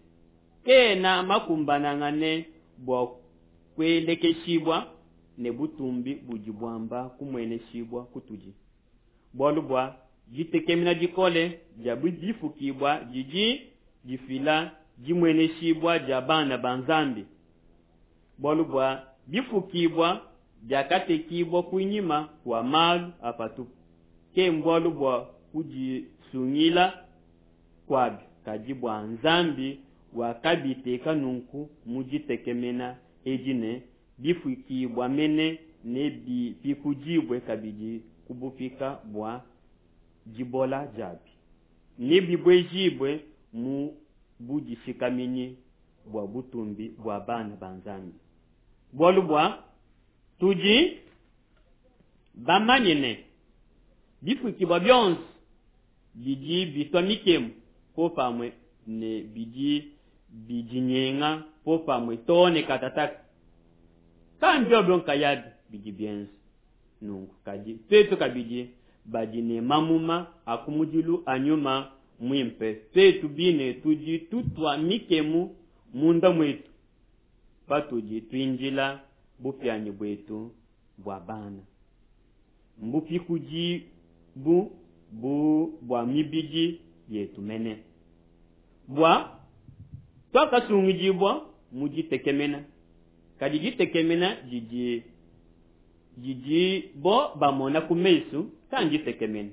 kena makumbanangane bua kuelekeshibua ne butumbi budi buamba kumueneshibua kutudi. Bualu bua ditekemena dikole dia bifukibua didi difila dimueneshibua dia bana ba Nzambi. Bualu bua bifukibua biakatekibua kunyima kua malu a patupu, ke mbualu bua kudisungila kuabi, kadi bua Nzambi wakabiteka nunku mu ditekemena edi ne bifukibua mene nebipikudibue kabidi ku bupika bua dibola diabi, nebibuejibue mu budishikaminyi bua butumbi bua bana ba Nzambi. Bualu bua tudi bamanye ne bifukibua bionso bidi bitua mikemu popamue ne bidi bidinyenga popamue too ne katataka. Kambiobo nkayabi bidi bienza nunku, kadi tuetu kabidi badi ne mamuma a kumudilu a nyuma muimpe, tuetu bine tudi tutua mikemu munda muetu patudi tuindila bupianyi buetu bua bana, mbupikudi bu bu bua mibidi yetu mene. Bua tuakasungidibua mu ditekemena, kadi ditekemena didi didi bo bamona ku mesu kanditekemena.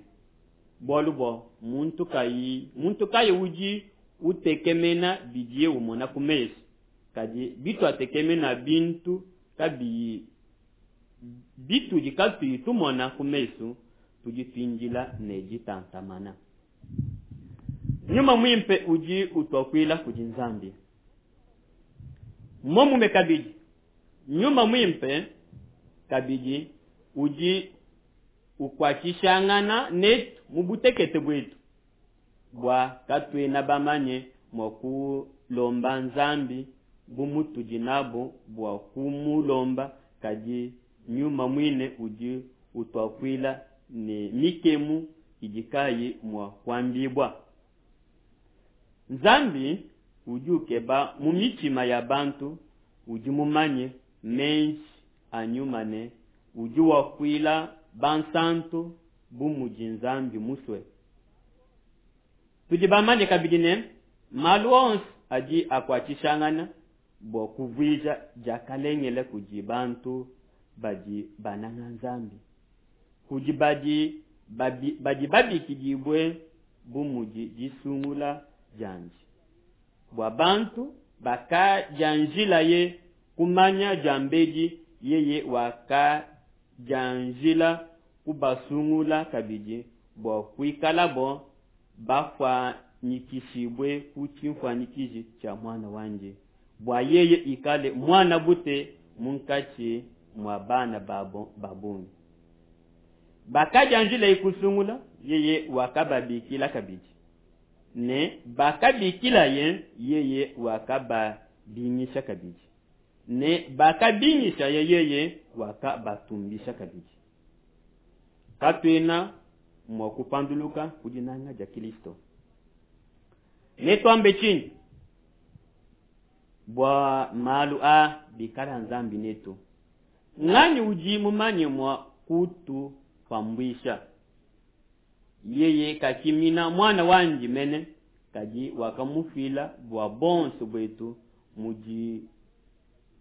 Bualu bua muntu kayi muntu kayi udi utekemena bidiye umona ku mesu, kadi bituatekemena bintu kabiyi bitudi katuyi tumona ku mesu, tudi tuindila ne ditantamana. Nyuma muimpe udi utuakuila kudi Nzambi. Momume kabidi nyuma muimpe kabidi udi ukuatshishangana netu mu butekete buetu, bua katuena bamanye mua kulomba Nzambi bu mutudi nabo bua kumulomba, kadi nyuma muine udi utuakuila ne mikemu idi kayi mua kuambibua. Nzambi udi ukeba mu mitshima ya bantu udi mumanye meji a Nyuma ne udi wakuila bansanto bu mudi Nzambi musue. Tudi bamanye kabidi ne malu onso adi akuatshishangana bua kuvuija diakalengele kudi bantu badi bananga Nzambi, kudi badi babi, badi babikidibue bu mudi disungula diandi, bua bantu bakadianjilaye kumanya diambedi, yeye wakadianjila kubasungula kabidi bua kuikalabo bafuanyikishibue ku tshinfuanyikiji tshia Muana wandi, bua yeye ikale muan'a bute munkatshi mua bana babo ba bungi. Bakadianjilaye kusungula, yeye wakababikila kabidi, ne bakabikilaye, yeye wakababingisha kabidi, ne bakabingishaye, yeye wakabatumbisha kabidi. Katuena mua kupanduluka ku dinanga dia Kristo. Netuambe tshinyi bua malu a bikala Nzambi netu? Nganyi udi mumanye mua kutupambuisha? Yeye kakimina muana wandi mene, kadi wakamufila bua bonso buetu, mudi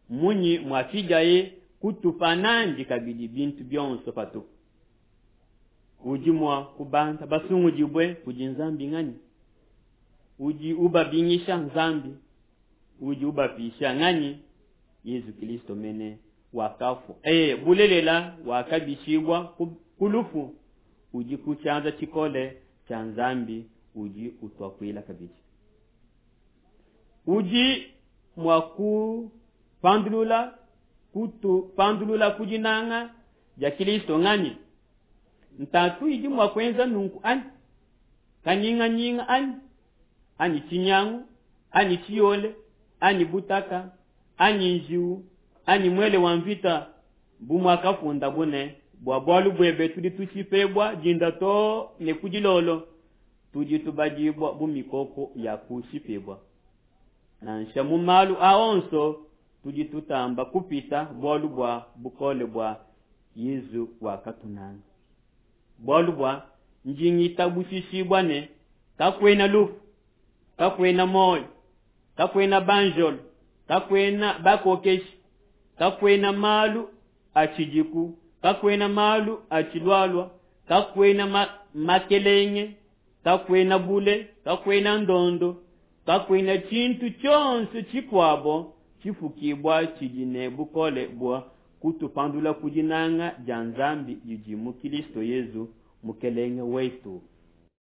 munyi muafidiaye kutupa nandi kabidi bintu bionso patupu? Udi mua kubanda basungudibue kudi Nzambi nganyi? Udi ubabingisha Nzambi, udi ubapisha nganyi? Yezu Kristo mene wakafua, e bulelela wakabishibua ku lufu, udi ku tshianza tshikole tshia Nzambi, udi utuakuila kabidi. Udi mua kupandulula kutupandulula ku dinanga dia Kristo nganyi? Ntatu idi mua kuenza nunku anyi? Kanyinganyinga anyi? Anyi tshinyangu? Anyi tshiyole? Anyi butaka? Anyi njiwu? Anyi muele wa mvita? Bu muakafundabo ne, bua bualu buebe tudi tushipebua dinda too ne ku dilolo, tudi tubadibua bu mikoko ya kushipebua. Nansha mu malu a onso tudi tutamba kupita bualu bua bukole bua Yezu wakatunanga. Bualu bua ndi ngitabushishibua ne kakuena lufu, kakuena muoyo, kakuena banjelo, kakuena bakokeshi, kakuena malu atshidiku, kakuena malu atshilualua, kakuena ma makelenge, kakuena bule, kakuena ndondo, kakuena tshintu tshionso tshikuabo tshifukibua tshidi ne bukole bua kutupandula ku dinanga dia Nzambi didi mu Kristo Yezu Mukelenge wetu.